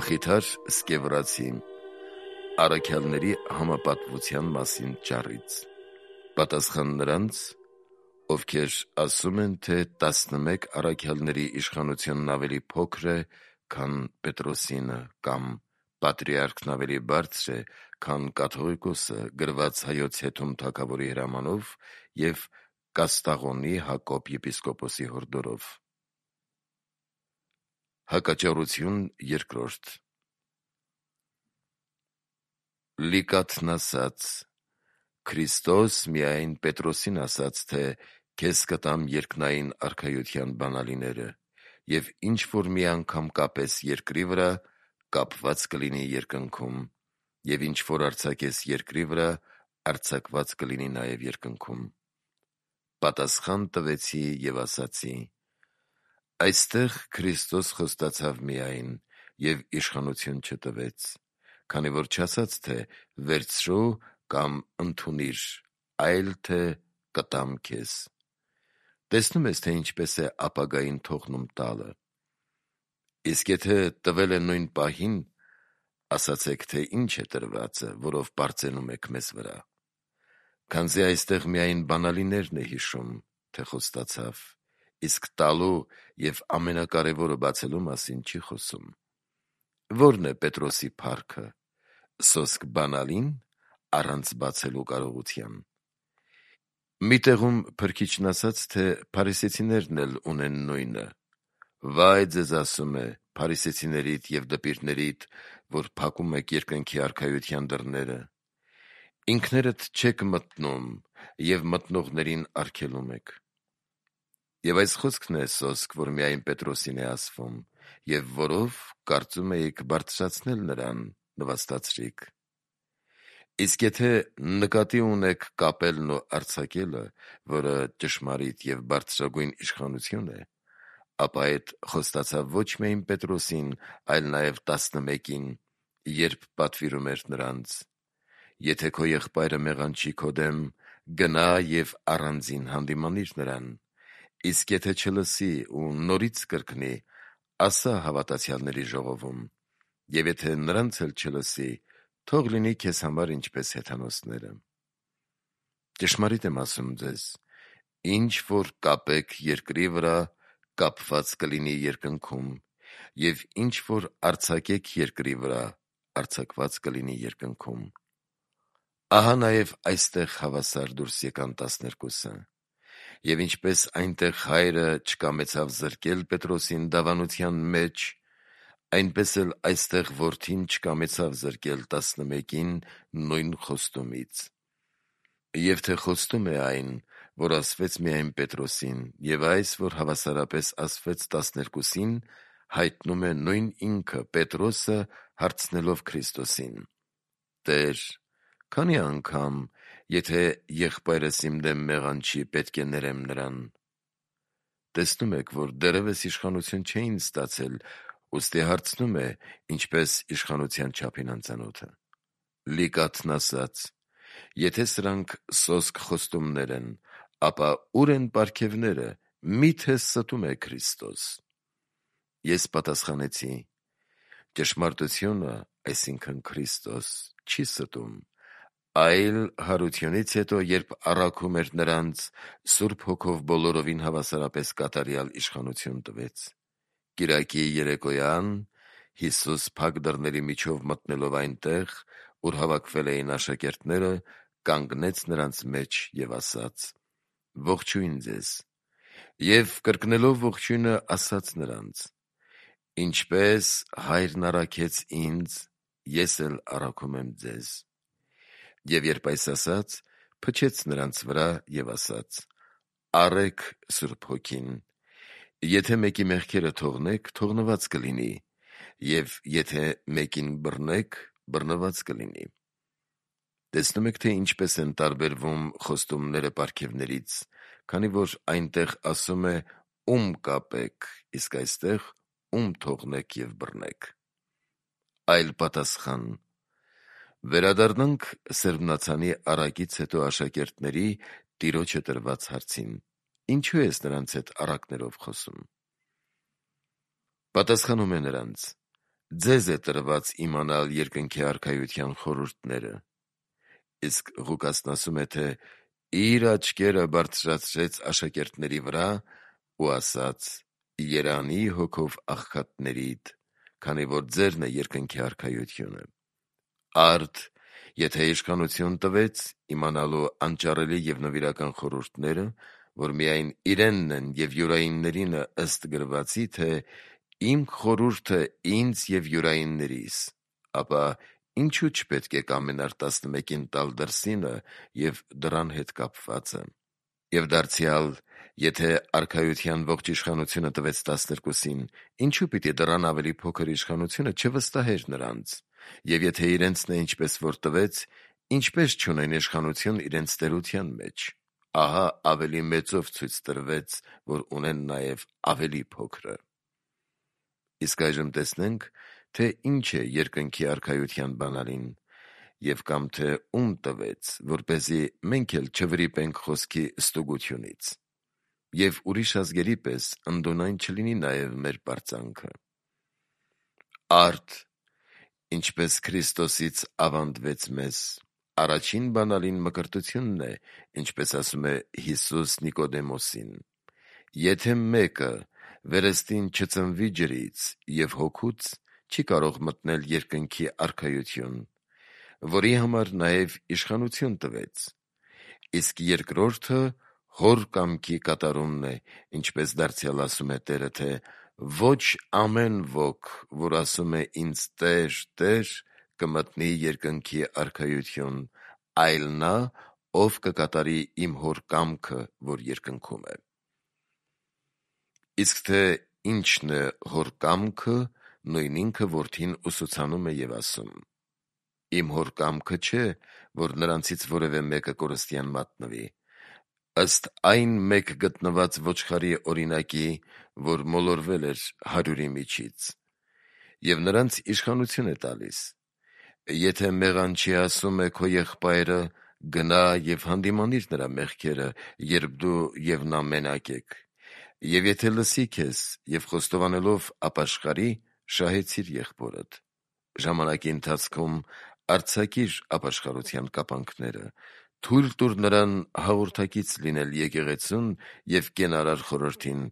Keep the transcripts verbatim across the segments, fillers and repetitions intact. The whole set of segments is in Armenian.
Մխիթար Սկևրացի առաքյալների համապատվության մասին ճառից։ Պատասխան նրանց, ովքեր ասում են, թե տասնմեկ առաքյալների իշխանությունն ավելի փոքր է, քան Պետրոսինը, կամ պատրիարքն ավելի բարձր է, քան կաթողիկոսը, գրված Հայոց Հեթում թագավորի հրամանով և Կաստաղոնի Հակոբ եպիսկոպոսի հորդորով։ Հակաճառություն երկրորդ։ Լիկաթն ասաց. Քրիստոս միայն Պետրոսին ասաց, թե քեզ կտամ երկնային արքայության բանալիները, և ինչ որ մի անգամ կապես երկրի վրա, կապված կլինի երկնքում, և ինչ որ արձակես երկրի վրա, արձակված կլինի նաև երկնքում։ Պատասխան տվեցի և ասացի. այստեղ Քրիստոս խոստացավ միայն և իշխանություն չտվեց, քանի որ չասաց, թե վերցրու կամ ընդունիր, այլ թե կտամ քեզ։ Տեսնում ես, թե ինչպես է ապագային թողնում տալը։ Իսկ եթե տվել է նույն պահին, ասացեք, թե ինչ է տրվածը, որով պարծենում եք մեզ վրա։ Քանզի այստեղ միայն բանալիներն է հիշում, թե խոստացավ, իսկ տալու և ամենակարևորը բացելու մասին չի խոսում։ Ո՞րն է Պետրոսի փառքը, սոսկ բանալին, առանց բացելու կարողության։ Մի տեղում Փրկիչն ասաց, թե փարիսեցիներն էլ ունեն նույնը. «Վայ ձեզ ասում է, փարիսեցիներիդ և դպիրներիդ, որ փակում եք երկնքի արքայության դռները. ինքներդ չեք մտնում և մտնողներին արգելում եք»։ Եվ այս խոսքն է սոսկ, որ միայն Պետրոսին է ասվում, և որով կարծում էիք բարձրացնել նրան, նվաստացրիք։ Իսկ եթե նկատի ունեք կապելն ու արձակելը, որը ճշմարիտ և բարձրագույն իշխանություն է, ապա այդ խոստացավ ոչ միայն Պետրոսին, այլ նաև տասնմեկին, երբ պատվիրում էր նրանց. «Եթե քո եղբայրը մեղանչի քո դեմ, գնա և առանձին հանդիմանիր նրան, իսկ եթե չլսի ու նորից կրկնի, ասա հավատացյալների ժողովում, և եթե նրանց էլ չլսի, թող լինի քեզ համար ինչպես հեթանոսները։ Ճշմարիտ եմ ասում ձեզ. ինչ որ կապեք երկրի վրա, կապված կլինի երկնքում, և ինչ որ արձակեք երկրի վրա, արձակված կլինի երկնքում»։ Ահա նաև այստեղ հավասար դուրս եկան տասներկուսը։ Եվ ինչպես այնտեղ հայրը չկամեցավ զրկել Պետրոսին դավանության մեջ, այնպես էլ այստեղ որդին չկամեցավ զրկել տասնմեկին նույն խոստումից։ Եվ թե խոստում է այն, որ ասվեց միայն Պետրոսին, և այս, որ հավասարապես ասվեց տասներկուսին, հայտնում է նույն ինքը Պետրոսը, հարցնելով Քրիստոսին. «Տե՛ր, քանի՞ անգամ, եթե եղբայրս իմ դեմ մեղանչի, պետք է ներեմ նրան»։ Տեսնում եք, որ դեռևս իշխանություն չէին ստացել, ուստի հարցնում է, ինչպես իշխանության չափին անծանոթը։ Լիկաթն ասաց. «Եթե սրանք սոսկ խոստումներ են, ապա ու՞ր են պարգևները, մի՞թե ստում է Քրիստոս»։ Ես պատասխանեցի. «Ճշմարտությունը, այսինքն Քրիստոս, չի ստում, այլ հարությունից հետո, երբ առաքում էր նրանց, Սուրբ Հոգով բոլորովին հավասարապես կատարյալ իշխանություն տվեց։ Կիրակի երեկոյան Հիսուս փակ դռների միջով մտնելով այնտեղ, ուր հավաքվել էին աշակերտները, կանգնեց նրանց մեջ և ասաց. «Ողջույն ձեզ», և կրկնելով ողջույնը, ասաց նրանց. «Ինչպես Հայրն առաքեց ինձ, ես էլ առաքում եմ ձեզ»։ Եվ երբ այս ասաց, փչեց նրանց վրա և ասաց. «Առե՛ք Սուրբ Հոգին. եթե մեկի մեղքերը թողնեք, թողնված կլինի, և եթե մեկին բռնեք, բռնված կլինի»։ Տեսնում եք, թե ինչպես են տարբերվում խոստումները պարգևներից, քանի որ այնտեղ ասում է «ում կապեք», իսկ այստեղ «ում թողնեք և բռնեք»։ Այլ պատասխան. վերադառնանք սերմնացանի առակից հետո աշակերտների Տիրոջը տրված հարցին. ինչու ես նրանց հետ առակներով խոսում։ Պատասխանում է նրանց. ձեզ է տրված իմանալ երկնքի արքայության խորհուրդները։ Իսկ Ղուկասն ասում է, թե իր աչքերը բարձրացրեց աշակերտների վրա ու ասաց. «Երանի հոգով աղքատներիդ, քանի որ ձերն է երկնքի արքայությունը»։ Արդ, եթե իշխանություն տվեց իմանալու անճարելի եւ նվիրական խորհուրդները, որ միայն իրենն են եւ յուրայիններինը ըստ գրվածի, թե իմ խորհուրդը ինձ եւ յուրայիններիս, ապա ինչու չպետք է կամենար տասնմեկին տալ դրսինը եւ դրան հետ կապվածը։ Եվ դարձյալ, եթե արքայության ողջ իշխանությունը տվեց տասներկուսին, ինչու պիտի դրան ավելի փոքր իշխանությունը չվստահեր նրանց, եւ եթե իրենցն է ինչպես որ տվեց, ինչպես չունեն իշխանություն իրենց տերության մեջ, ահա ավելի մեծով ցույց տրվեց, որ ունեն նաեւ ավելի փոքրը։ Իսկ այժմ տեսնենք, թե ինչ է երկնքի արքայության բանալին, եւ կամ թե ում տվեց, որպեսզի մենք էլ չվրիպենք խոսքի ստուգությունից, եւ ուրիշ ազգերի պես ընդունայն չլինի նաեւ մեր պարծանքը։ Արդ, ինչպես Քրիստոսից ավանդվեց մեզ, առաջին բանալին մկրտությունն է, ինչպես ասում է Հիսուս Նիկոդեմոսին. եթե մեկը վերստին չծնվի ջրից եւ հոգուց, չի կարող մտնել երկնքի արքայություն, որի համար նաեւ իշխանություն տվեց, իսկ երկրորդը հոր կամքի կատարումն է, ինչպես դարձյալ ասում է Տերը, թե ոչ ամեն ոք, որ ասում է ինձ Տեր, Տեր, կմտնի երկնքի արքայություն, այլ նա, ով կկատարի իմ հոր կամքը, որ երկնքում է։ Իսկ թե ինչն է հոր կամքը, նույն ինքը որդին ուսուցանում է եւ ասում. իմ հոր կամքը չէ, որ նրանցից որևէ մեկը կորստյան մատնվի, ըստ այն մեկ գտնված ոչխարի օրինակի, որ մոլորվել էր հարյուրի միջից, եւ նրանց իշխանություն է տալիս. եթե մեղանչի ասում է քո եղբայրը, գնա եւ հանդիմանիր նրա մեղքերը, երբ դու եւ նա մենակ եք, եւ եթե լսի քեզ եւ խոստովանելով ապաշխարի, շահեցիր եղբորդ, ժամանակի ընթացքում արձակիր ապաշխարության կապանքները, թույլ տուր նրան հաղորդակից լինել եկեղեցուն եւ կենարար խորհրդին,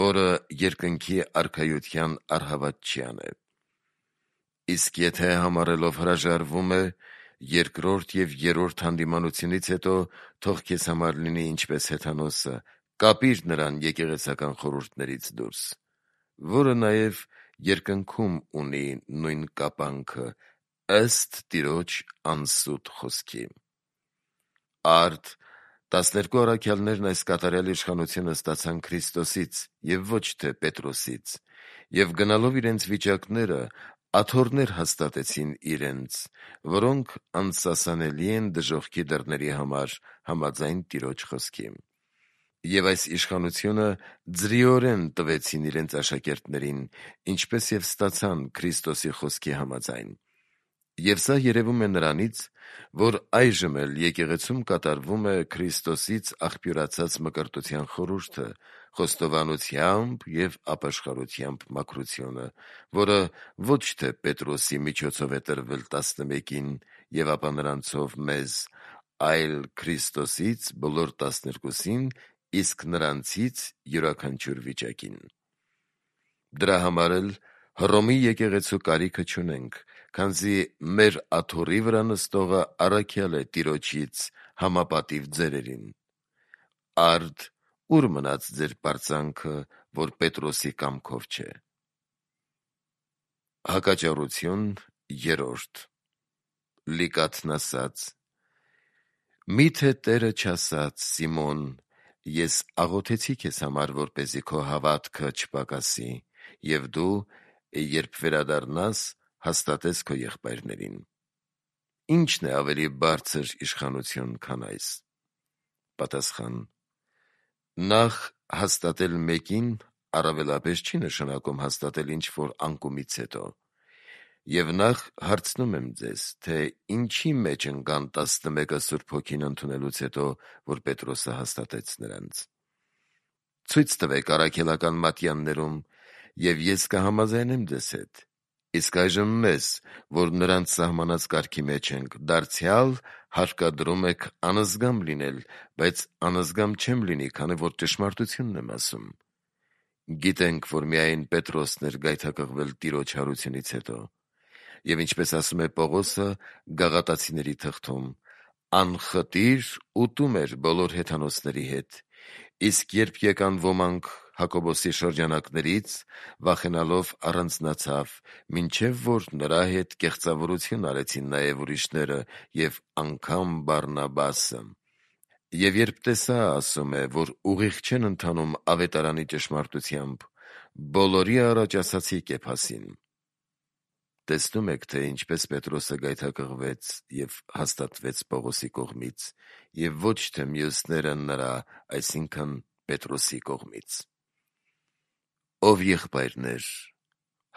որը երկնքի արքայության առհավատչյան է։ Իսկ եթե համարելով հրաժարվում է, երկրորդ եւ երրորդ հանդիմանությունից հետո թող քեզ համար լինի ինչպես հեթանոսը, կապիր նրան եկեղեցական խորհուրդներից դուրս, որը նաեւ երկնքում ունի նույն կապանքը, ըստ Տիրոջ անսուտ խոսքի։ Արդ, տասներկու առաքյալներն այս կատարյալ իշխանությունը ստացան Քրիստոսից եւ ոչ թե Պետրոսից, եւ գնալով իրենց վիճակները աթոռներ հաստատեցին իրենց, որոնք անսասանելի են դժոխքի դռների համար համաձայն Տիրոջ խոսքի։ Եվ այս իշխանությունը ձրիորեն տվեցին իրենց աշակերտներին, ինչպես եւ ստացան Քրիստոսի խոսքի համաձայն։ Եվ սա երևում է նրանից, որ այժմ էլ եկեղեցում կատարվում է Քրիստոսից աղբյուրացած մկրտության խորհուրդը, խոստովանությամբ եւ ապաշխարությամբ մաքրությունը, որը ոչ թե Պետրոսի միջոցով է տրվել տասնմեկին եւ ապա նրանցով մեզ, այլ Քրիստոսից բոլոր տասներկուսին, իսկ նրանցից յուրաքանչյուր վիճակին։ Դրա համար էլ Հռոմի եկեղեցու կարիքը չունենք, քանզի մեր աթոռի վրա նստողը առաքյալ է Տիրոջից համապատիվ ձերերին։ Արդ, ուր մնաց ձեր պարծանքը, որ Պետրոսի կամքով չէ։ Հակաճառություն երրորդ. Լիկաթն ասաց. «Միթե Տերը չասաց, Սիմոն, ես աղոթեցի քեզ համար, որպեսզի քո հավատքը չպակասի, եւ դու, երբ վերադառնաս, հաստատես քո եղբայրներին։ Ի՞նչն է ավելի բարձր իշխանություն, քան այս»։ Պատասխան. նախ հաստատել մեկին առավելապես չի նշանակում հաստատել ինչ-որ անկումից հետո։ Եվ նախ հարցնում եմ ձեզ, թե ինչի մեջ ընկան տասնմեկը Սուրբ Հոգին ընդունելուց հետո, որ Պետրոսը հաստատեց նրանց։ Ցույց տվեք առաքելական մատյաններում, եւ ես կհամաձայնեմ ձեզ հետ, Իսկ այժմ մեզ, որ նրանց սահմանած կարգի մեջ ենք, դարձյալ հարկադրում եք անզգամ լինել, բայց անզգամ չեմ լինի, քանի որ ճշմարտությունն եմ ասում։ Գիտենք, որ միայն Պետրոսն էր գայթակղվել Տիրոջ հարությունից հետո։ Եվ ինչպես ասում է Պողոսը Գաղատացիների թղթում, անխտիր ուտում էր բոլոր հեթանոսների հետ, իսկ երբ եկան ոմանք Հակոբոսի շրջանակներից, վախենալով առանձնացավ, մինչև որ նրա հետ կեղծավորություն արեցին նաև ուրիշները և անգամ Բարնաբասը։ Եվ երբ տեսա, ասում է, որ ուղիղ չեն ընթանում ավետարանի ճշմարտությամբ, բոլորի առաջ ասացի Կեփասին։ Տեսնում եք, թե ինչպես Պետրոսը գայթակղվեց և հաստատվեց Պողոսի կողմից, և ոչ թե մյուսները նրա, այսինքն Պետրոսի կողմից։ Ով եղբայրներ,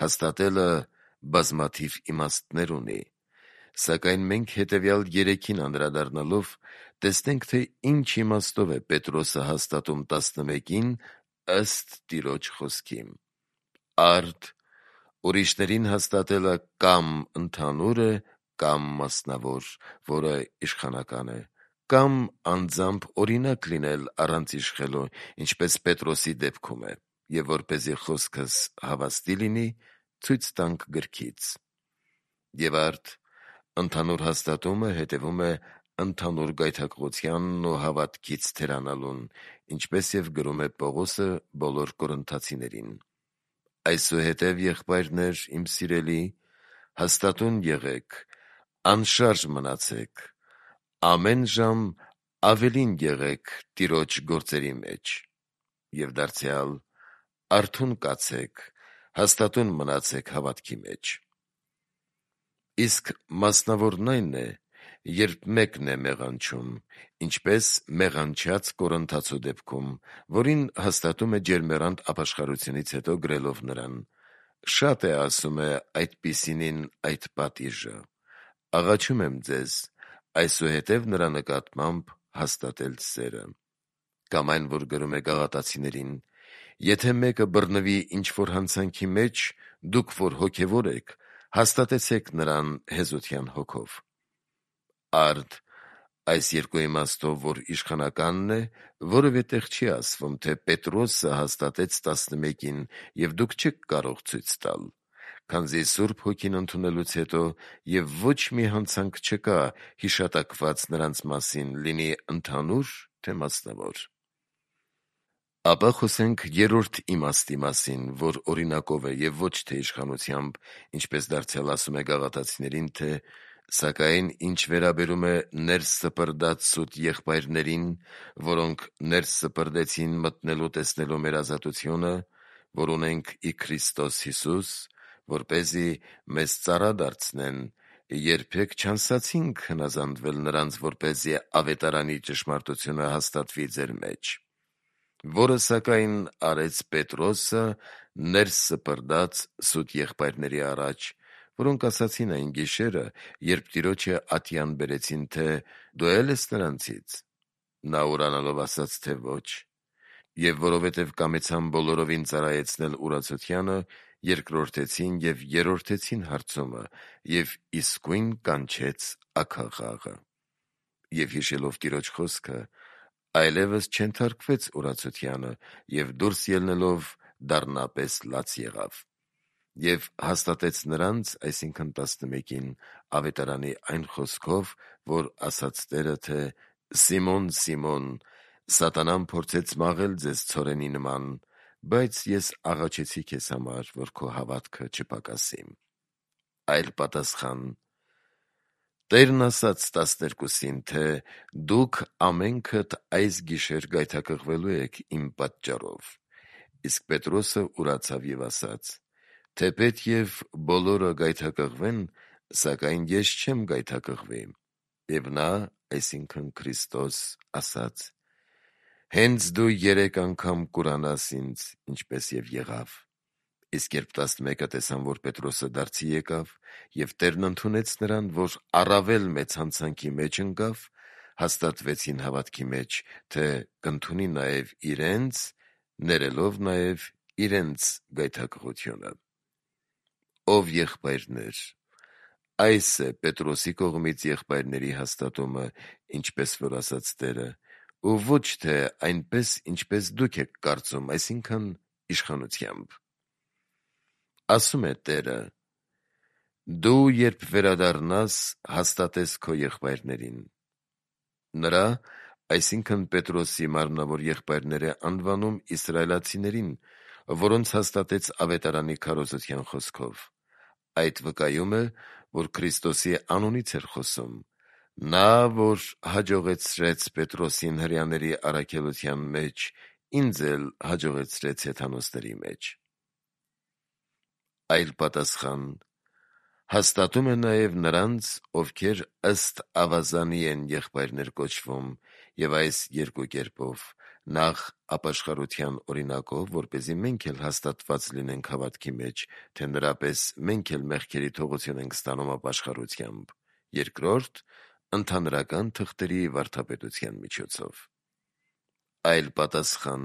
հաստատելը բազմաթիվ իմաստներ ունի, սակայն մենք հետևյալ երեքին անդրադառնալով տեսնենք, թե ինչ իմաստով է Պետրոսը հաստատում տասնմեկին ըստ Տիրոջ խոսքի։ Արդ ուրիշներին հաստատելը կամ ընդհանուր է, կամ մասնավոր, որը իշխանական է, կամ անձամբ օրինակ լինել առանց իշխելու, ինչպես Պետրոսի դեպքում է, և որպեսզի խոսքս հավաստի լինի, ցույց տանք գրքից։ Եվ արդ ընդհանուր հաստատումը հետևում է ընդհանուր գայթակղությանն ու հավատքից թերանալուն, ինչպես և գրում է Պողոսը բոլոր կորինթացիներին։ Այսուհետև, եղբայրներ, իմ սիրելի, հաստատուն եղեք, անշարժ մնացեք, ամեն ժամ ավելին եղեք Տիրոջ գործերի մեջ, և դարձյալ արթուն կացեք, հաստատուն մնացեք հավատքի մեջ։ Իսկ մասնավորն այն է, երբ մեկն է մեղանչում, ինչպես մեղանչած Կորինթացու դեպքում, որին հաստատում է ջերմեռանդ ապաշխարությունից հետո գրելով նրան. «Շատ է, ասում է, այդպիսինին այդ պատիժը. աղաչում եմ ձեզ, այսուհետև նրա նկատմամբ հաստատել սերը»։ Կամ այն, որ գրում է Գաղատացիներին. «Եթե մեկը բռնվի ինչ-որ հանցանքի մեջ, դուք որ հոգևոր եք, հաստատեցեք նրան հեզության հոգով»։ Արդ այս երկու իմաստով, որ իշխանականն է, որևէ տեղ չի ասվում, թե Պետրոսը հաստատեց տասնմեկին, և դուք չեք կարող ցույց տալ, քանզի Սուրբ Հոգին ընդունելուց հետո և ոչ մի հանցանք չկա հիշատակված նրանց մասին, լինի ընդհանուր, թե մասնավոր։ Ապա խոսենք երրորդ իմաստի մասին, որ օրինակով է և ոչ թե իշխանությամբ, ինչպես դարձյալ ասում է Գաղատացիներին, թե «Սակայն ինչ վերաբերում է ներս սպրդած սուտ եղբայրներին, որոնք ներս սպրդեցին մտնելու տեսնելու մեր ազատությունը, որ ունենք ի Քրիստոս Հիսուս, որպեսզի մեզ ծառա դարձնեն, երբեք չանսացինք հնազանդվել նրանց, որպեսզի ավետարանի ճշմարտությունը հաստատվի ձեր մեջ, որը սակայն արեց Պետրոսը ներս սպրդած սուտ եղբայրների առաջ, որոնք ասացին այն գիշերը, երբ Տիրոջը ատյան բերեցին, թե «Դու է՞լ ես նրանցից»։ Նա ուրանալով ասաց, թե ոչ, և որովհետև կամեցան բոլորովին ծառայեցնել урացությանը, երկրորդեցին և երրորդեցին հարցումը, և իսկույն կանչեց աքաղաղը։ Եվ հիշելով Տիրոջ խոսքը, այլևս չենթարկվեց урացությանը, և դուրս ելնելով դառնապես լաց եղավ։ Եվ հաստատեց նրանց, այսինքն տասնմեկին, ավետարանի այն խոսքով, որ ասաց Տերը, թե «Սիմոն, Սիմոն, սատանան փորձեց մաղել ձեզ ցորենի նման, բայց ես աղաչեցի քեզ համար, որ քո հավատքը չպակասի»։ Այլ պատասխան. Տերն ասաց տասներկուսին, թե «Դուք ամենքդ այս գիշեր գայթակղվելու եք իմ պատճառով»։ Իսկ Պետրոսը ուրացավ և ասաց. «Թեպետ և բոլորը գայթակղվեն, սակայն ես չեմ գայթակղվի»։ Եվ նա, այսինքն Քրիստոս, ասաց. «Հենց դու երեք անգամ կուրանաս ինձ, ինչպես և եղավ»։ Իսկ երբ տասնմեկը տեսան, որ Պետրոսը դարձի եկավ, և Տերն ընդունեց նրան, որ առավել մեծ հանցանքի մեջ ընկավ, հաստատվեցին հավատքի մեջ, թե կընդունի նաև իրենց, ներելով նաև իրենց գայթակղությունը։ ով եղբայրներ։ Այս է Պետրոսի կողմից եղբայրների հաստատումը, ինչպես որ ասաց Տերը, ու ոչ թե այնպես, ինչպես դուք եք կարծում, այսինքն իշխանությամբ։ Ասում է Տերը. դու երբ վերադառնաս, հաստատես քո եղբայրներին։ Նրա, այսինքն Պետրոսի մարմնավոր եղբայրներ է անվանում իսրայելացիներին, որոնց հաստատեց ավետարանի քարոզության խոսքով։ Այդ վկայում է, որ Քրիստոսի անունից էր խոսում, նա, որ հաջողեցրեց Պետրոսին հրեաների առաքելության մեջ, ինձ էլ հաջողեցրեց հեթանոսների մեջ։ Այլ պատասխան. հաստատում է նաև նրանց, ովքեր ըստ ավազանի են եղբայրներ կոչվում, և այս երկու կերպով. նախ ապաշխարության օրինակով, որպեսզի մենք էլ հաստատված լինենք հավատքի մեջ, թե նրա պես մենք էլ մեղքերի թողություն ենք ստանում ապաշխարությամբ, երկրորդ ընդհանրական թղթերի վարդապետության միջոցով։ Այլ պատասխան.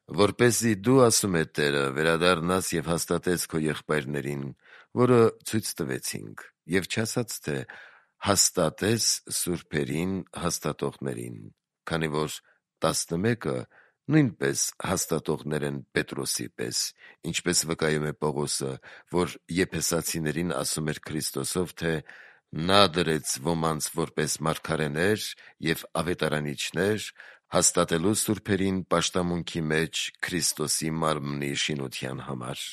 որպեսզի դու, ասում է Տերը, վերադառնաս և հաստատես քո եղբայրներին, որը ցույց տվեցինք, և չասաց, թե հաստատես սուրբերին հաստատողներին, քանի որ տասնմեկը նույնպես հաստատողներ են Պետրոսի պես, ինչպես վկայում է Պողոսը, որ եփեսացիներին ասում էր Քրիստոսով, թե նա դրեց ոմանց որպես մարգարեներ և ավետարանիչներ, հաստատելու սուրբերին պաշտամունքի մեջ Քրիստոսի մարմնի շինության համար։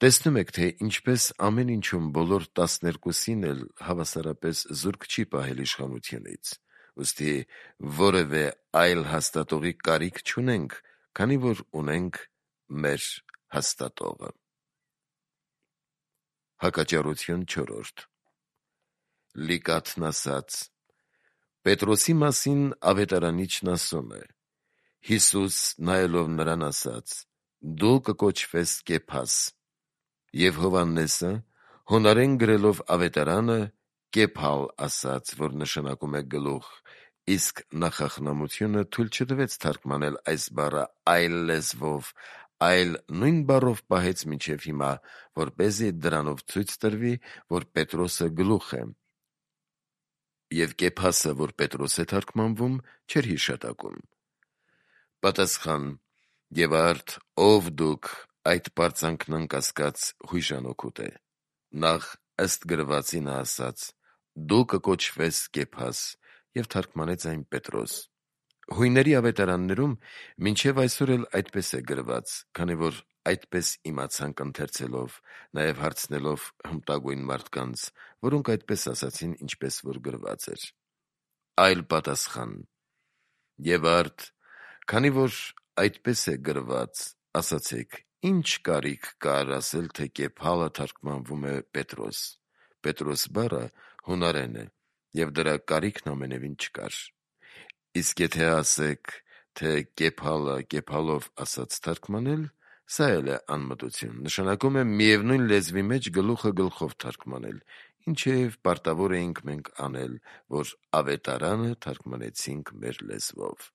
Տեսնում եք, թե ինչպես ամեն ինչում բոլոր տասներկուսին էլ հավասարապես զուրկ չի պահել իշխանությունից, ուստի որևէ այլ հաստատողի կարիք չունենք, քանի որ ունենք մեր հաստատողը։ Հակաճառություն չորրորդ. Լիկաթն ասաց. Պետրոսի մասին ավետարանիչն ասում է. Հիսուս նայելով նրան ասաց. դու կկոչվես Կեփաս, և Հովհաննեսը հունարեն գրելով ավետարանը Կեփալ ասաց, որ նշանակում է գլուխ, իսկ նախախնամությունը թույլ չտվեց թարգմանել այս բառը այլ լեզվով, այլ նույն բառով պահեց մինչև հիմա, որպեսզի դրանով ցույց տրվի, որ Պետրոսը գլուխ է, և Կեփասը, որ Պետրոս է թարգմանվում, չէր հիշատակում։ Պատասխան. և արդ ով դուք այդ պարծանքն անկասկած հույժանոքուտ է։ Նախ ըստ գրվածի նա ասաց. դու կկոչվես Կեփաս, և թարգմանեց այն Պետրոս։ Հույների ավետարաններում մինչև այսօր էլ այդպես է գրված, քանի որ այդպես իմացանք ընթերցելով, նաև հարցնելով հմտագույն մարդկանց, որոնք այդպես ասացին, ինչպես որ գրված էր։ Այլ պատասխան. և արդ, քանի որ այդպես է գրված, ասացեք, ի՞նչ կարիք կար ասել, թե Կեփալը թարգմանվում է Պետրոս։ Պետրոս բառը հունարեն է, և դրա կարիքն ամենևին չկար։ Իսկ եթե ասեք, թե Կեփալը Կեփալով ասած թարգմանել, սա էլ է անմտություն, նշանակում է միևնույն լեզվի մեջ գլուխը գլխով թարգմանել, ինչև պարտավոր էինք մենք անել, որ ավետարանը թարգմանեցինք մեր լեզվով։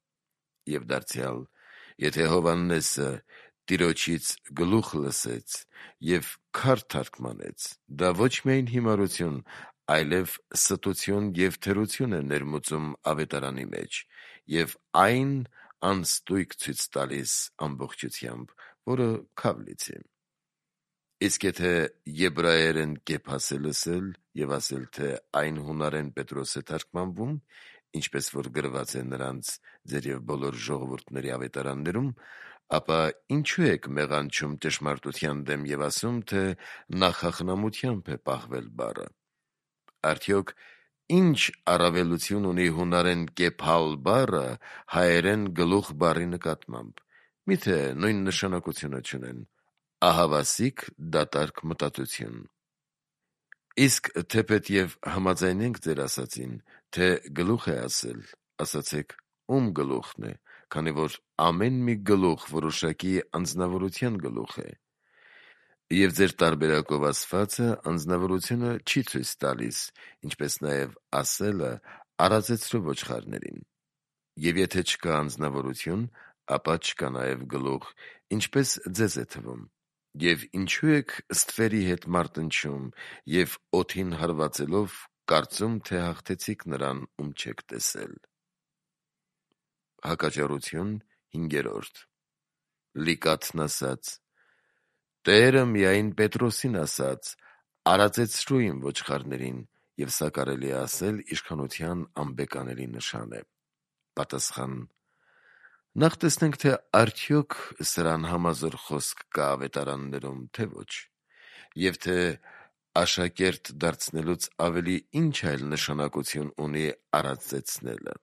Եվ դարձյալ, եթե Հովհաննեսը Տիրոջից գլուխ լսեց և քար թարգմանեց, դա ոչ միայն հիմարություն, այլև ստություն և թերություն է ներմուծում ավետարանի մեջ, և այն անստույգ ցույց տալիս ամբողջությամբ, որը քավլից է։ Իսկ եթե եբրայերեն Կեփաս է լսել և ասել, թե այն հունարեն Պետրոս է թարգմանվում, ինչպես որ գրված է նրանց, ձեր և բոլոր ժողովուրդների ավետարաններում, ապա ինչու եք մեղանչում ճշմարտության դեմ և ասում, թե նախախնամությամբ է պահվել բառը։ Արդյոք ի՞նչ առավելություն ունի հունարեն Կեփալ բառը հայերեն գլուխ բառի նկատմամբ։ Միթե նույն նշանակությունը չունեն։ Ահավասիկ դատարկ մտածություն։ Իսկ թեպետև համաձայնենք ձեր ասածին, թե գլուխ է ասել, ասացեք ում գլուխն է, քանի որ ամեն մի գլուխ որոշակի անձնավորության գլուխ է։ Եվ ձեր տարբերակով ասվածը անձնավորությունը չի ցույց տալիս, ինչպես նաև ասելը արածեցրու ոչխարներին։ Եվ եթե չկա անձնավորություն, ապա չկա նաև գլուխ, ինչպես ձեզ է թվում։ Եվ ինչու եք ստվերի հետ մարտնչում և օդին հարվածելով կարծում, թե հաղթեցիք նրան, ում չեք տեսել։ Հակաճառություն հինգերորդ. Լիկաթն ասաց. Տերը միայն Պետրոսին ասաց. արածեցրու իմ ոչխարներին, և սա կարելի է ասել իշխանության անբեկանելի նշան է։ Պատասխան. նախ տեսնենք, թե արդյոք սրան համազոր խոսք կա ավետարաններում, թե ոչ, և թե աշակերտ դարձնելուց ավելի ինչ այլ նշանակություն ունի արածեցնելը,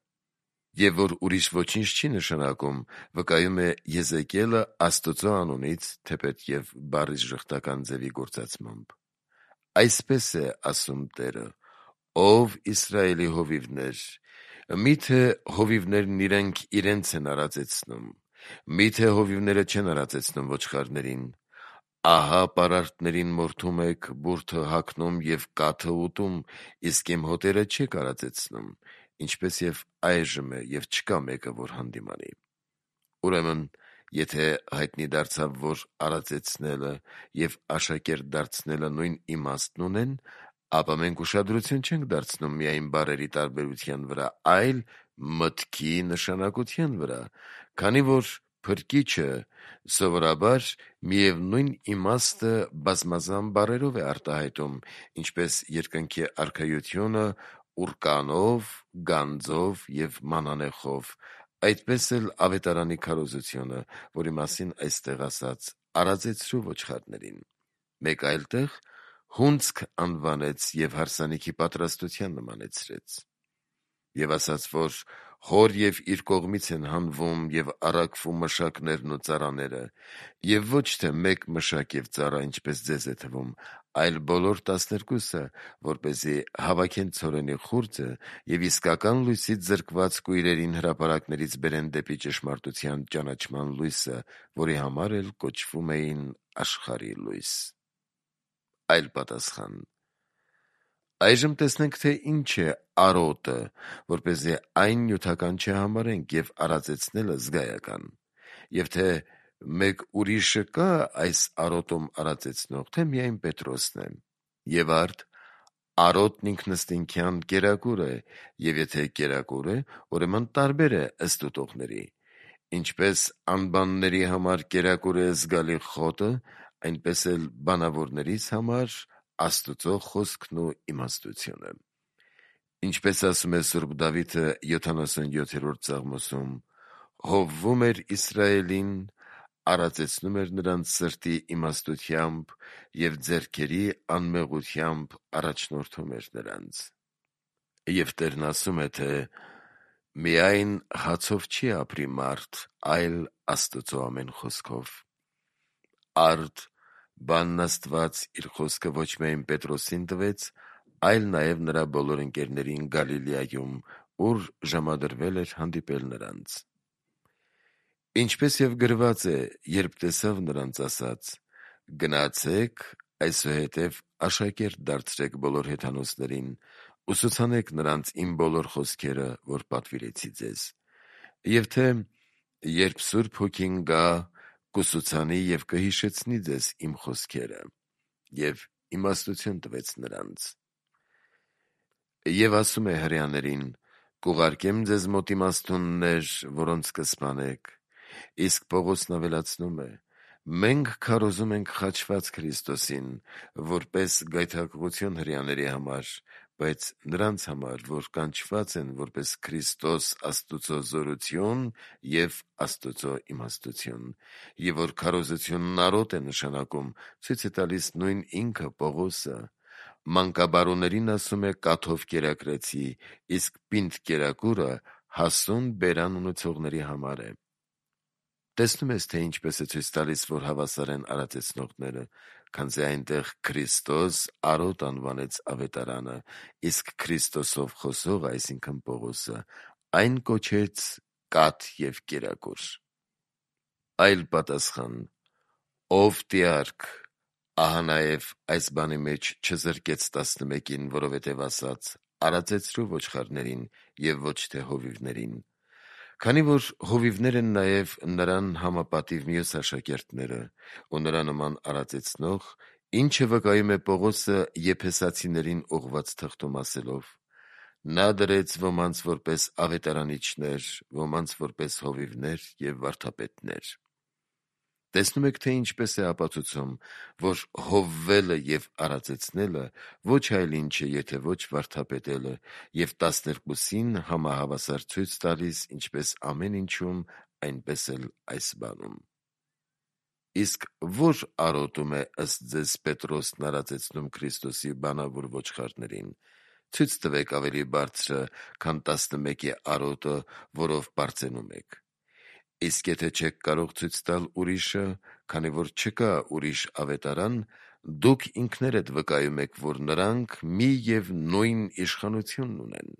և որ ուրիշ ոչինչ չի նշանակում, վկայում է Եզեկիելը Աստծո անունից, թեպետև բառի ժխտական ձևի գործածմամբ. այսպես է ասում Տերը, ով Իսրայելի հովիվներ, միթե հովիվներն իրենք իրենց են արածեցնում, միթե հովիվները չեն արածեցնում ոչխարներին, ահա պարարտներին մորթում եք, բուրդը հագնում և կաթը ուտում, իսկ իմ հոտերը չեք արածեցնում, ինչպես և այժմ է, և չկա մեկը, որ հանդիմանի։ Ուրեմն, եթե հայտնի դարձավ, որ արածեցնելը և աշակերտ դարձնելը նույն իմաստն ունեն, ապա մենք ուշադրություն չենք դարձնում միայն բառերի տարբերության վրա, այլ մտքի նշանակության վրա, քանի որ փրկիչը սովորաբար միևնույն իմաստը բազմազան բառերով է արտահայտում, ինչպես երկնքի արքայությունը ուռկանով, գանձով և մանանեխով, այդպես էլ ավետարանի քարոզությունը, որի մասին այստեղ ասաց. արածեցրու ոչխարներին, մեկ այլ տեղ հունձք անվանեց և հարսանիքի պատրաստության նմանեցրեց, և ասաց, որ հոր և իր կողմից են հանվում և առաքվում մշակներն ու ծառաները, և ոչ թե մեկ մշակ և ծառա, ինչպես ձեզ է թվում, այլ բոլոր տասներկուսը, որպեսզի հավաքեն ցորենի խուրձը և իսկական լույսից զրկված կույրերին հրապարակներից բերեն դեպի ճշմարտության ճանաչման լույսը, որի համար էլ կոչվում էին աշխարհի լույս։ Այլ պատասխան. այժմ տեսնենք, թե ինչ է արոտը, որպեսզի այն նյութական չհամարենք և արածեցնելը զգայական, և թե մեկ ուրիշը կա այս արոտում արածեցնող, թե միայն Պետրոսն է, և արդ արոտն ինքնըստինքյան կերակուր է, և եթե կերակուր է, ուրեմն տարբեր է ըստ ուտողների, ինչպես անբանների համար կերակուր է զգալի խոտը, այնպես էլ բանավորներիս համար Աստծո խոսքն ու իմաստությունը։ Ինչպես ասում է Սուրբ Դավիթը յոթանասունյոթերորդ Սաղմոսում. հովվում էր Իսրայելին, արածեցնում էր նրանց սրտի իմաստությամբ և ձեռքերի անմեղությամբ առաջնորդում էր նրանց։ Եվ Տերն ասում է, թե միայն հացով չի ապրի մարդ, այլ Աստծո ամեն խոսքով։ Արդ բանն Աստված իր խոսքը ոչ միայն Պետրոսին տվեց, այլ նաև նրա բոլոր ընկերներին Գալիլեայում, ուր ժամադրվել էր հանդիպել նրանց։ Ինչպես և գրված է, երբ տեսավ նրանց, ասաց. գնացեք, այսուհետև աշակերտ դարձրեք բոլոր հեթանոսներին, ուսուցանեք նրանց իմ բոլոր խոսքերը, որ պատվիրեցի ձեզ, և թե երբ Սուրբ Հոգին գա, կուսուցանի և կհիշեցնի ձեզ իմ խոսքերը, և իմաստություն տվեց նրանց։ Եվ ասում է հրեաներին. կուղարկեմ ձեզ մոտ իմաստուններ, որոնց կսպանեք, իսկ Պողոսն ավելացնում է. մենք քարոզում ենք խաչված Քրիստոսին, որպես գայթակղություն հրեաների համար, բայց նրանց համար, որ կանչված են որպես Քրիստոս Աստուծո զորություն և Աստուծո իմաստություն, և որ քարոզությունն արոտ է նշանակում, ցույց է տալիս նույն ինքը Պողոսը, մանկաբարուներին ասում է կաթով կերակրեցի, իսկ պինդ կերակուրը հասուն բերան ունեցողների համար է։ Տեսնում ես, թե ինչպես է ցույց տալիս, որ հավասար են արածեցնողները, քանզի այնտեղ Քրիստոս արոտ անվանեց ավետարանը, իսկ Քրիստոսով խոսողը, այսինքն Պողոսը, այն կոչեց կաթ և կերակուր։ Այլ պատասխան. ով տիարք, ահա նաև այս բանի մեջ չզրկեց տասնմեկին, որովհետև ասաց. արածեցրու ոչխարներին և ոչ թե հովիվներին, Քանի որ հովիվներ են նաև նրան համապատիվ մյուս աշակերտները ու նրա նման արածեցնող, ինչը վկայում է Պողոսը եփեսացիներին ուղված թղթում ասելով. «Նա դրեց ոմանց որպես ավետարանիչներ, ոմանց որպես հովիվներ և վարդապետներ»։ Տեսնում եք, թե ինչպես է ապացուցում, որ հովվելը և արածեցնելը ոչ այլ ինչ է, եթե ոչ վարդապետելը և տասներկուսին համահավասար ցույց տալիս ինչպես ամեն ինչում, այնպես էլ այս բանում։ Իսկ ո՞ր արոտում է ըստ ձեզ Պետրոսն արածեցնում Քրիստոսի բանավոր ոչխարներին, ցույց տվեք ավելի բարձրը, քան տասնմեկի արոտը, որով պարծենում եք։ Իսկ եթե չեք կարող ցույց տալ ուրիշը, քանի որ չկա ուրիշ ավետարան, դուք ինքներդ վկայում եք, որ նրանք մի և նույն իշխանությունն ունեն։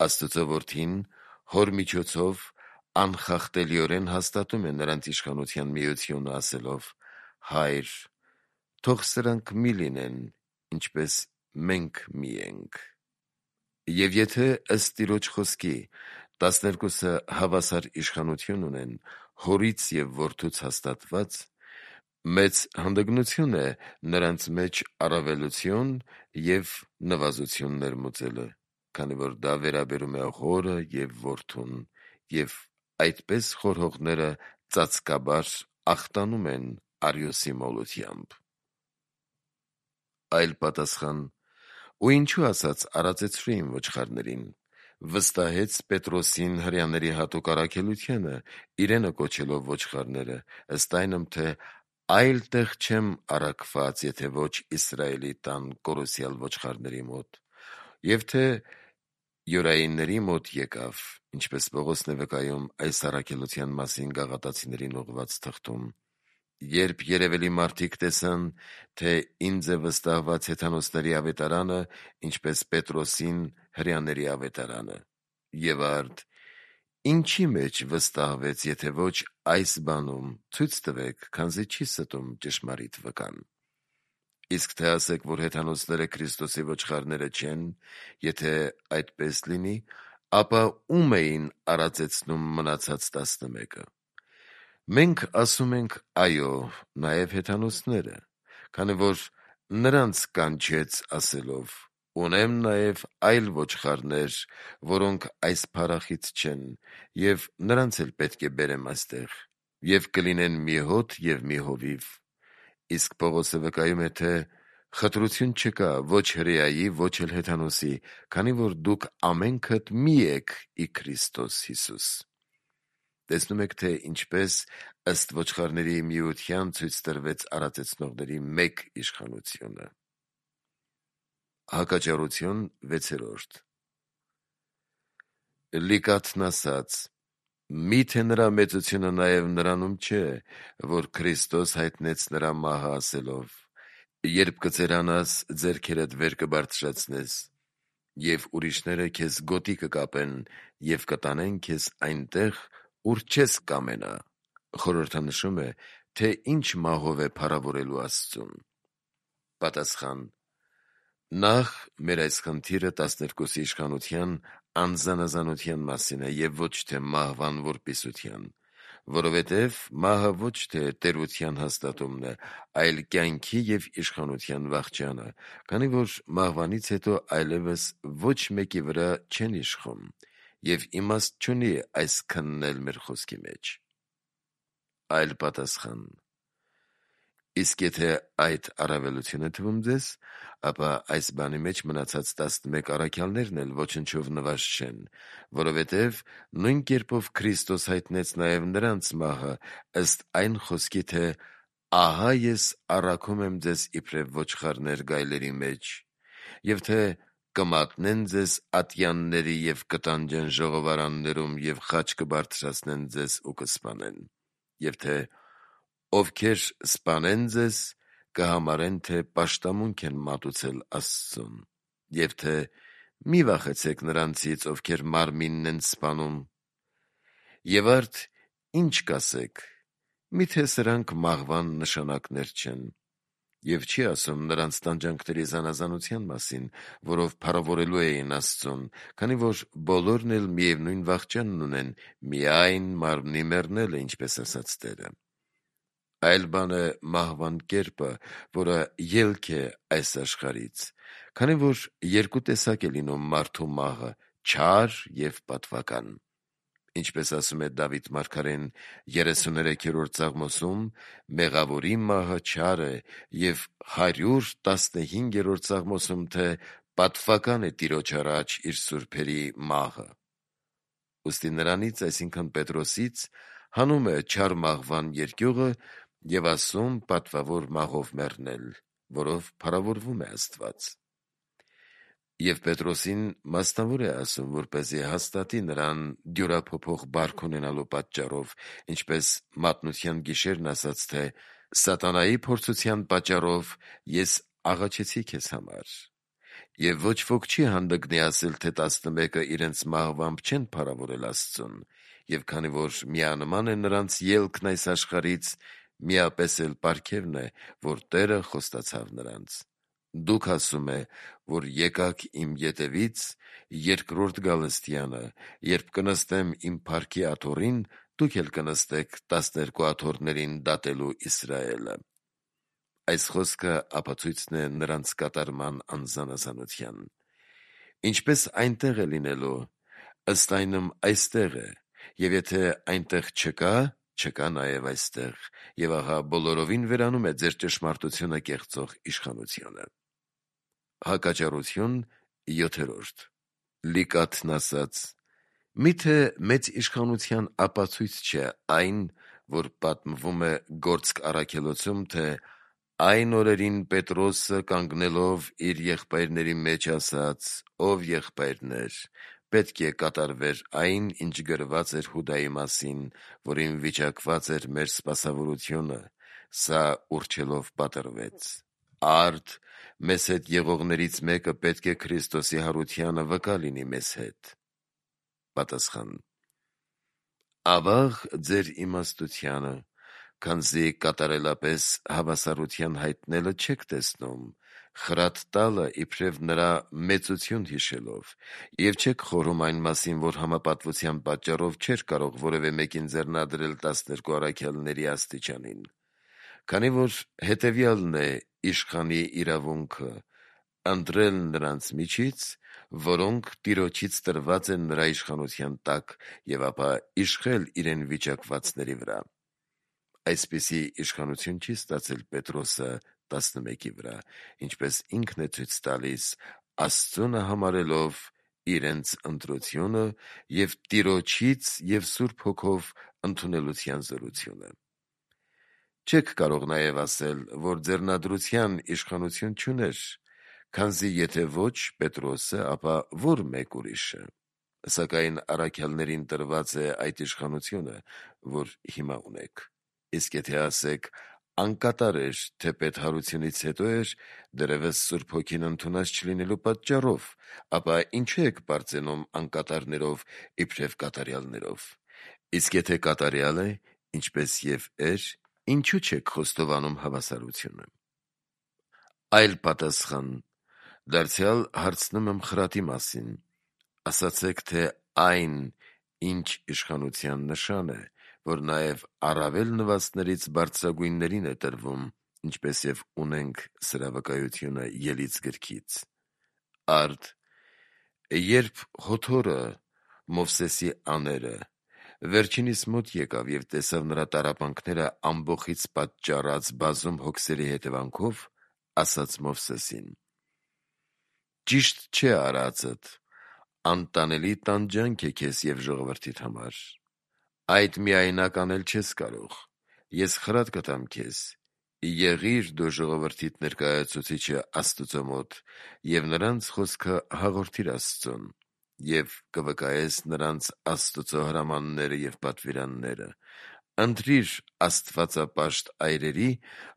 Աստծո Որդին Հոր միջոցով անխախտելիորեն հաստատում է նրանց իշխանության միությունը, ասելով. «Հայր, թող սրանք մի լինեն, ինչպես մենք մի ենք»։ Եվ եթե ըստ Տիրոջ խոսքի տասներկուսը հավասար իշխանություն ունեն, Հորից և Որդուց հաստատված, մեծ հանդգնություն է նրանց մեջ առավելություն և նվազություն ներմուծելը, քանի որ դա վերաբերում է Հորը և Որդուն, և այդպես խորհողները ծածկաբար ախտանում են Արիոսի մոլությամբ։ Այլ պատասխան. ու ինչու ասաց արածեցրու իմ ոչխարներին, վստահեց Պետրոսին հրեաների հատուկ առաքելությանը, իրենը կոչելով ոչխարները, ըստ այնմ, թե այլ տեղ չեմ առաքված, եթե ոչ Իսրայելի տան կորոսյալ ոչխարների մոտ, և թե յորայինների մոտ եկավ, ինչպես Պողոսն է վկայում այս առաքելության մասին Գաղատացիներին ուղղված թղթում. երբ երևելի մարդիկ տեսան, թե ինձ է վստահված հեթանոսների ավետարանը, ինչպես Պետրոսին հրեաների ավետարանը, եւ արդ ինչի մեջ վստահվեց, եթե ոչ այս բանում, ցույց տվեք, քանզի չի ստում ճշմարիտ վկան։ Իսկ թե ասեք, որ հեթանոսները Քրիստոսի ոչխարները չեն, եթե այդպես լինի, ապա ո՞ւմ էին արածեցնում մնացած տասնմեկը։ Մենք ասում ենք այո, նաև հեթանոսները, քանի որ նրանց կանչեց ասելով. «Ունեմ նաև այլ ոչխարներ, որոնք այս փառախից չեն, և նրանց էլ պետք է բերեմ այստեղ, և կլինեն մի հոտ և մի հովիվ»։ Իսկ Պողոսը վկայում է, թե խտրություն չկա ոչ հրեայի, ոչ էլ հեթանոսի, քանի որ դուք ամենքդ մի եք ի Քրիստոս Հիսուս։ Տեսնում եք, թե ինչպես ըստ ոչխարների միության ցույց տրվեց արածեցնողների մեկ իշխանությունը։ Հակաճառություն վեցերորդ. Լիկաթն ասաց. «Մի՞թե նրա մեծությունը նաև նրանում չէ, որ Քրիստոս հայտնեց նրա մահը ասելով. երբ կծերանաս, ձեռքերդ վեր կբարձրացնես, և ուրիշները քեզ գոտի կկապեն և կտանեն քեզ այնտեղ, ուր չես կամենա»։ Խորհրդանշում է, թե ինչ մահով է փառավորելու Աստծուն։ Պատասխան. Նախ մեր այս խնդիրը տասներկուսի իշխանության անզանազանության մասին է և ոչ թե մահվան որպիսության, որովհետև մահը ոչ թե տերության հաստատումն է, այլ կյանքի և իշխանության վախճանը, քանի որ մահվանից հետո այլևս ոչ մեկի վրա չեն իշխում, և իմաստ չունի այս քննել մեր խոսքի մեջ։ Այլ պատասխան. Իսկ եթե այդ առավելություն է թվում ձեզ, ապա այս բանի մեջ մնացած տասնմեկ առաքյալներն էլ ոչնչով նվազ չեն, որովհետև նույն կերպով Քրիստոս հայտնեց նաև նրանց մահը, ըստ այն խոսքի, թե «Ահա ես առաքում եմ ձեզ իբրև ոչխարներ գայլերի մեջ», և թե «Կմատնեն ձեզ ատյանների և կտանջեն ժողովարաններում և խաչ կբարձրացնեն ձեզ ու կսպանեն», և թե «Ովքեր սպանեն ձեզ, կհամարեն, թե պաշտամունք են մատուցել Աստծուն», և թե «Մի վախեցեք նրանցից, ովքեր մարմինն են սպանում»։ Եվ արդ ի՞նչ կասեք, մի՞թե սրանք մահվան նշանակներ չեն։ Եվ չի ասում նրանց տանջանքների զանազանության մասին, որով փառավորելու էին Աստծուն, քանի որ բոլորն էլ միևնույն վախճանն ունեն, միայն մարմնի մեռնելը, ինչպես ասաց Տերը։ Այլ բան է մահվան կերպը, որը ելք է այս աշխարհից, քանի որ երկու տեսակ է լինում մարդու մահը՝ չար եւ պատվական։ Ինչպես ասում է Դավիթ մարգարեն երեսուներեքերորդ Սաղմոսում, մեղավորի մահը չար է, եւ հարյուր տասնհինգերորդ Սաղմոսում, թե պատվական է Տիրոջ առաջ իր սուրբերի մահը։ Ուստի նրանից, այսինքն Պետրոսից, հանում է չար մահվան երկյուղը եւ ասում պատվավոր մահով մեռնել, որով փառավորվում է Աստված։ Եվ Պետրոսին մասնավոր է ասում, որպեսզի հաստատի նրան դյուրափոփող բարք ունենալու պատճառով, ինչպես մատնության գիշերն ասաց, թե սատանայի փորձության պատճառով ես աղաչեցի քեզ համար։ Եվ ոչ ոք չի հանդգնի ասել, թե տասնմեկը իրենց մահվամբ չեն փառավորել Աստծուն, եւ քանի որ միանման է նրանց ելքն այս աշխարհից, միապես էլ պարգևն է, որ Տերը խոստացավ նրանց։ Դուք ասում է, որ եկաք իմ ետևից, երկրորդ գալստյանը, երբ կնստեմ իմ փառքի աթոռին, դուք էլ կնստեք տասներկու աթոռներին դատելու Իսրայելը։ Այս խոսքը ապացույցն է նրանց կատարման անզանազանության։ Ինչպես այնտեղ է լինելու, ըստ այնմ այստեղ է, եւ եթե այնտեղ չկա, չկա նաեւ այստեղ, եւ ահա բոլորովին վերանում է ձեր ճշմարտությունը կեղծող իշխանությունը։ Հակաճառություն յոթերորդ Լիկաթն ասաց. «Միթե մեծ իշխանության ապացույց չէ այն, որ պատմվում է Գործք առաքելոցում, թե այն օրերին Պետրոսը կանգնելով իր եղբայրների մեջ ասաց. «Ով եղբայրներ, պետք է կատարվեր այն, ինչ գրված էր Հուդայի մասին, որին վիճակված էր մեր սպասավորությունը, սա ուռչելով պատրվեց։ Արդ մեզ հետ եղողներից մեկը պետք է Քրիստոսի հարությանը վկա լինի մեզ հետ»։ Պատասխան. Ավաղ ձեր իմաստությանը, քանզի կատարելապես հավասարության հայտնելը չեք տեսնում, խրատ տալը իբրև նրա մեծություն հիշելով, եւ չեք խորհում այն մասին, որ համապատվության պատճառով չէր կարող որևէ մեկին ձեռնադրել տասներկու առաքյալների աստիճանին, քանի որ հետեւյալն է իշխանի իրավունքը՝ ընտրել նրանց միջից, որոնք Տիրոջից տրված են նրա իշխանության տակ, եւ ապա իշխել իրեն վիճակվածների վրա։ Այսպիսի իշխանություն չի ստացել Պետրոսը տասնմեկի վրա, ինչպես ինքն է ցույց տալիս, Աստծունը համարելով իրենց ընտրությունը եւ Տիրոջից եւ Սուրբ Հոգով ընդունելության զորությունը։ Չեք կարող նաեւ ասել, որ ձեռնադրության իշխանություն չուներ, քանզի եթե ոչ Պետրոսը, ապա որ մեկ ուրիշը։ Սակայն առաքյալներին տրված է այդ իշխանությունը, որ հիմա ունեք։ Իսկ եթե ասեք, անկատար էր, թե պետհարությունից հետո էր, դեռևս Սուրբ Հոգին ընդունած չլինելու պատճառով, ապա ինչու եք բարձենում անկատարներով իբրև կատարյալներով։ Իսկ եթե կատարյալ է, ինչպես եւ էր, ինչու չեք խոստովանում հավասարությունը։ Այլ պատասխան. դարձյալ հարցնում եմ խրատի մասին։ Ասացեք, թե այն, ինչ իշխանության նշան է, որ նաև առավել նվաստներից բարձրագույններին է տրվում, ինչպես եւ ունենք սրա վկայությունը Ելից գրքից։ Արդ, երբ Հոթորը, Մովսեսի աները, վերջինիս մոտ եկավ եւ տեսավ նրա տառապանքները ամբոխից պատճառած բազում հոգսերի հետևանքով, ասաց Մովսեսին. «Ճիշտ չէ արածդ, անտանելի տանջանք է քեզ եւ ժողովրդիդ համար։ Այդ միայնակ անել չես կարող։ Ես խրատ կտամ քեզ. եղիր դու ժողովրդիդ ներկայացուցիչը Աստուծո մոտ եւ նրանց խոսքը հաղորդիր Աստծուն, եւ կվկայես նրանց Աստուծո հրամանները եւ պատվիրանները։ Ընտրիր աստվածապաշտ այրերի,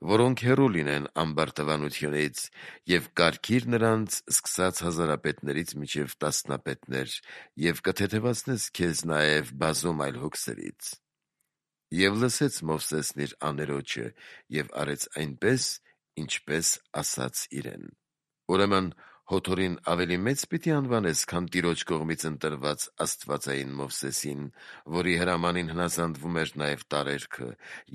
որոնք հեռու լինեն ամբարտավանությունից, եւ կարգիր նրանց սկսած հազարապետներից մինչև տասնապետներ, եւ կթեթևացնես քեզ նաեւ բազում այլ հոգսերից»։ Եվ լսեց Մովսեսն իր աներոջը եւ արեց այնպես, ինչպես ասաց իրեն։ Ուրեմն Հոթորին ավելի մեծ պիտի անվանես, քան Տիրոջ կողմից ընտրված աստվածային Մովսեսին, որի հրամանին հնազանդվում էր նաև տարերքը,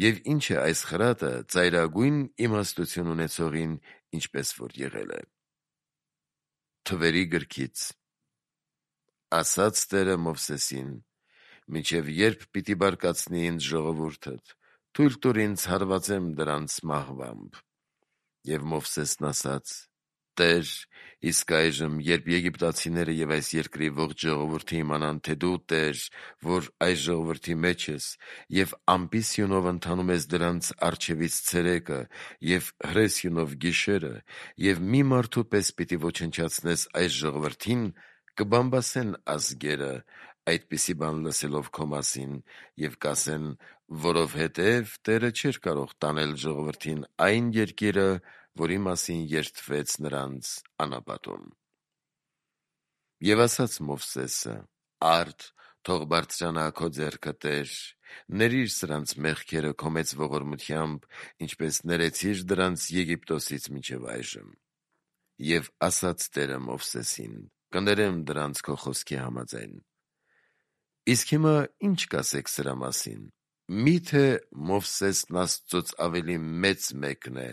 եւ ինչ է այս խրատը ծայրագույն իմաստություն ունեցողին, ինչպես որ եղել է։ Թվերի գրքից ասաց Տերը Մովսեսին. «Մինչև երբ պիտի բարկացնի ինձ ժողովուրդդ, թույլ տուր ինձ հարվածեմ դրանց մահվամբ»։ Եվ Մովսեսն ասաց. «Տեր, իսկ այժմ, երբ եգիպտացիները եւ այս երկրի ողջ ժողովուրդը իմանան, թե դու Տեր, որ այս ժողովրդի մեջ ես, եւ ամպիսյունով ընթանում ես դրանց առջևից ցերեկը եւ հրեսյունով գիշերը, եւ մի մարդու պես պիտի ոչնչացնես այս ժողովրդին, կբամբասեն ազգերը այդպիսի բան լսելով քո մասին եւ կասեն, որովհետեւ Տերը չէր կարող տանել ժողովրդին այն երկիրը, որի մասին երդվեց նրանց անապատում»։ Եվ ասաց Մովսեսը. «Արդ, թող բարձրանա քո ձեռքը, Տեր, ներիր սրանց մեղքերը քո մեծ ողորմությամբ, ինչպես ներեցիր դրանց Եգիպտոսից մինչև այժմ»։ Եվ ասաց Տերը Մովսեսին. «Կներեմ դրանց քո խոսքի համաձայն»։ Իսկ հիմա ի՞նչ կասեք սրա մասին։ Մի՞թե Մովսեսն Աստծոց ավելի մեծ մեկն է,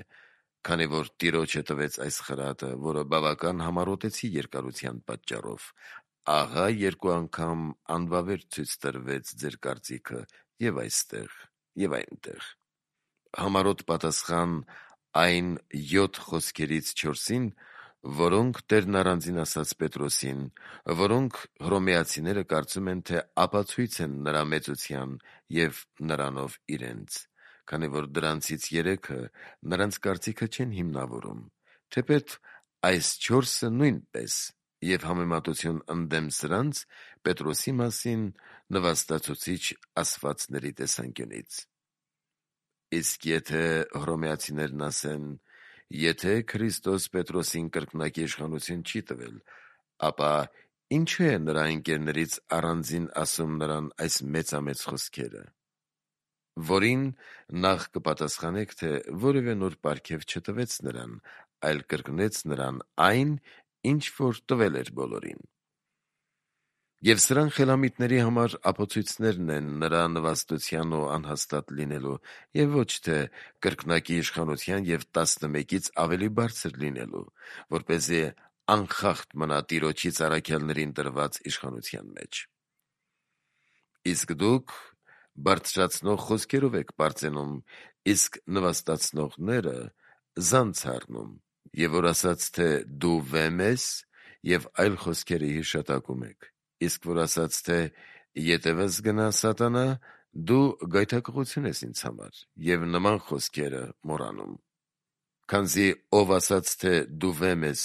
քանի որ Տիրոջը տվեց այս խրատը, որը բավական համառոտեցի երկարության պատճառով։ Ահա երկու անգամ անվավեր ցույց տրվեց ձեր կարծիքը եւ այստեղ եւ այնտեղ։ Համառոտ պատասխան այն յոթ խոսքերից չորսին, որոնք Տերն առանձին ասաց Պետրոսին, որոնք հռոմեացիները կարծում են, թե ապացույց են նրա մեծության եւ նրանով իրենց, քանի որ դրանցից երեքը նրանց կարծիքը չեն հիմնավորում, թեպետ այս չորսը նույնպես, եւ համեմատություն ընդդեմ սրանց Պետրոսի մասին նվաստացուցիչ ասվածների տեսանկյունից։ Իսկ եթե հռոմեացիներն ասեն, եթե Քրիստոս Պետրոսին կրկնակի իշխանություն չի տվել, ապա ինչու է նրա ընկերներից առանձին ասում նրան այս մեծամեծ խոսքերը, որին նախ կպատասխանեք, թե որևէ նոր պարգև չտվեց նրան, այլ կրկնեց նրան այն, ինչ որ տվել էր բոլորին։ Եվ սրան խելամիտների համար ապացույցներն են նրա նվաստության ու անհաստատ լինելու, եւ ոչ թե կրկնակի իշխանության եւ տասնմեկից ավելի բարձր լինելու, որպեսզի անխախտ մնա Տիրոջից առաքյալներին տրված իշխանության մեջ։ Իսկ դուք բարձրացնող խոսքերով եք պարծենում, իսկ նվաստացնողները զանց առնում, եւ որ ասաց, թե դու վեմ ես, եւ այլ խոսքերի հիշատակում եք, իսկ որ ասաց, թե ետևս գնա սատանա, դու գայթակղություն ես ինձ համար, եւ նման խոսքերը մոռանում։ Քանզի ով ասաց, թե դու վեմ ես,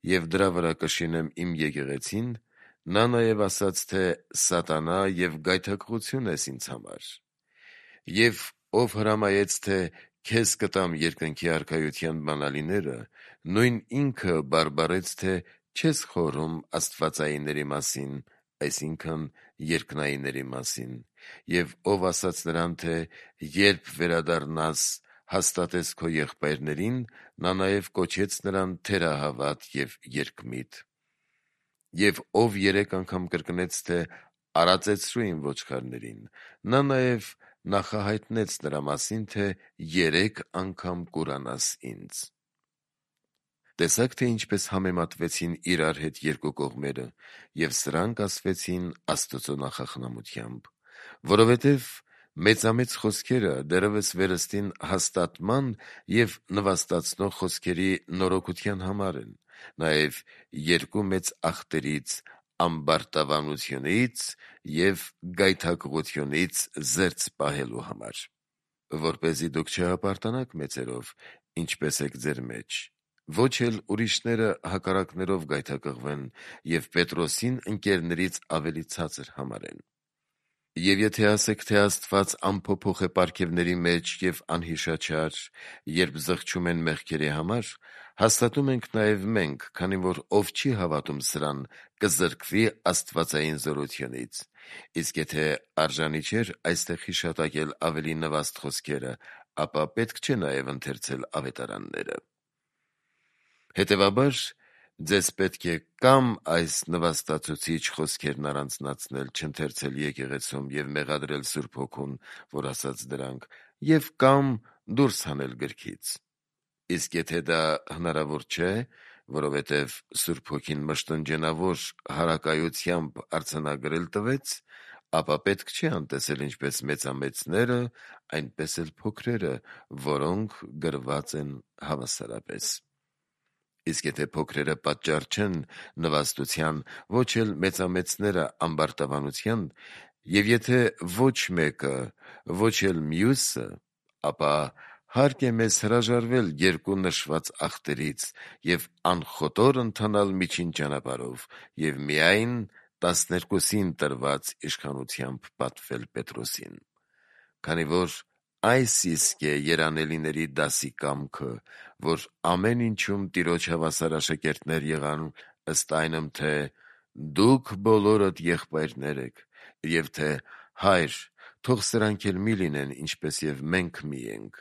եւ դրա վրա կշինեմ իմ եկեղեցին, նա նաեւ ասաց, թե սատանա եւ գայթակղություն ես ինձ համար։ Եվ ով հրամայեց, թե քեզ կտամ երկնքի արքայության բանալիները, նույն ինքը բարբարեց, թե չես խորհում աստվածայինների մասին, այսինքն երկնայինների մասին, եւ ով ասաց նրան, թե երբ վերադառնաս, հաստատես քո եղբայրներին, նա նաեւ կոչեց նրան թերահավատ եւ երկմիտ։ Եվ ով երեք անգամ կրկնեց, թե արածեցրու իմ ոչխարներին, նա նաեւ նախահայտնեց նրա մասին, թե երեք անգամ կուրանաս ինձ։ Տեսաք, թե ինչպես համեմատվեցին իրար հետ երկու կողմերը, եւ սրանք ասվեցին Աստծո նախախնամությամբ, որովհետեւ մեծամեծ խոսքերը դեռևս վերստին հաստատման եւ նվաստացնող խոսքերի նորոգության համար են, նաեւ երկու մեծ աղտերից՝ ամբարտավանությունից եւ գայթակղությունից զերծ պահելու համար, որպեսզի դուք չհպարտանաք մեծերով, ինչպես եք ձեր մեջ, ոչ էլ ուրիշները հակառակներով գայթակղվեն եւ Պետրոսին ընկերներից ավելի ցածր համարեն։ Եվ եթե ասեք, թե Աստված անփոփոխ է պարգևների մեջ եւ անհիշաչար, երբ զղջում են մեղքերի համար, հաստատում ենք նաեւ մենք, քանի որ ով չի հավատում սրան, կզրկվի աստվածային զորությունից։ Իսկ եթե արժանի չէր այստեղ հիշատակել ավելի նվաստ խոսքերը, ապա պետք չէ նաև ընթերցել ավետարանները։ Հետևաբար, ձեզ պետք է կամ այս նվաստացուցիչ խոսքերն առանձնացնել, չընթերցել եկեղեցում և մեղադրել Սուրբ Հոգուն, որ ասաց դրանք, և կամ դուրս հանել գրքից։ Իսկ եթե դա հնարավոր չէ, որովհետև Սուրբ Հոգին մշտնջենավոր հարակայությամբ արձանագրել տվեց, ապա պետք չէ անտեսել ինչպես մեծամեծները, այնպես էլ փոքրերը, որոնք գրված են հավասարապես։ Իսկ եթե փոքրերը պատճառ չեն նվաստության, ոչ էլ մեծամեծները ամբարտավանության, և եթե ոչ մեկը, ոչ էլ մյուսը, ապա հարկ է մեզ հրաժարվել երկու նշված ախտերից և անխոտոր ընթանալ միջին ճանապարհով և միայն տասներկուսին տրված իշխանությամբ պատվել Պետրոսին։ Քանի որ այս իսկ է երանելիների դասի կամքը, որ ամեն ինչում Տիրոջ հավասար աշակերտներ եղան, ըստ այնմ, թե «Դուք բոլորդ եղբայրներ եք», և թե «Հայր, թող սրանք էլ մի լինեն, ինչպես և մենք մի ենք»,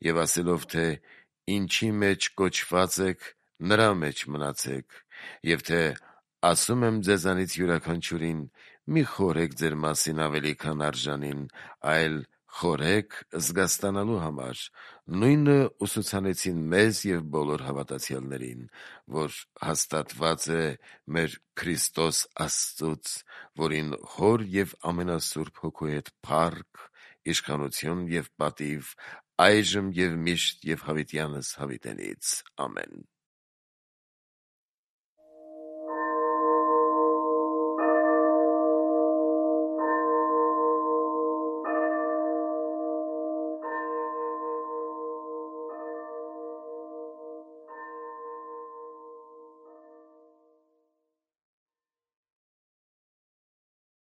և ասելով, թե «Ինչի մեջ կոչված եք, նրա մեջ մնացեք», և թե «Ասում եմ ձեզանից յուրաքանչյուրին, մի խորհեք ձեր մասին ավելի քան արժանին, այլ խորհեք զգաստանալու համար», նույնը ուսուցանեցին մեզ և բոլոր հավատացյալներին, որ հաստատված է մեր Քրիստոս Աստծուց, որին Հոր և ամենասուրբ Հոգու հետ փառք, իշխանություն և պատիվ, այժմ և միշտ և հավիտյանս հավիտենից։ Ամեն։